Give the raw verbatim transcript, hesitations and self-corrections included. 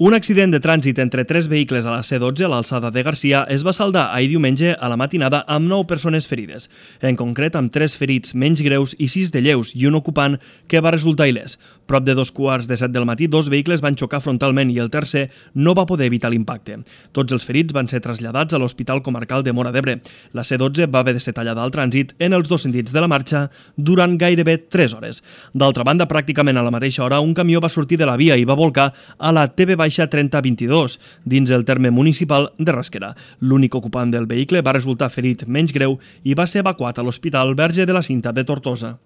Un accident de trànsit entre tres vehicles a la C dotze a l'alçada de Garcia es va saldar ahir diumenge a la matinada amb nou persones ferides, en concret amb tres ferits menys greus i sis de lleus i un ocupant que va resultar il·lès. Prop de dos quarts de set del matí, dos vehicles van xocar frontalment i el tercer no va poder evitar l'impacte. Tots els ferits van ser traslladats a l'Hospital Comarcal de Móra d'Ebre. La C dotze va haver de ser tallada al trànsit en els dos sentits de la marxa durant gairebé tres hores. D'altra banda, pràcticament a la mateixa hora, un camió va sortir de la via i va volcar a la T V trenta vint-i-dos, dins el terme municipal de Rasquera. L'únic ocupant del vehicle va resultar ferit menys greu i va ser evacuat a l'Hospital Verge de la Cinta de Tortosa.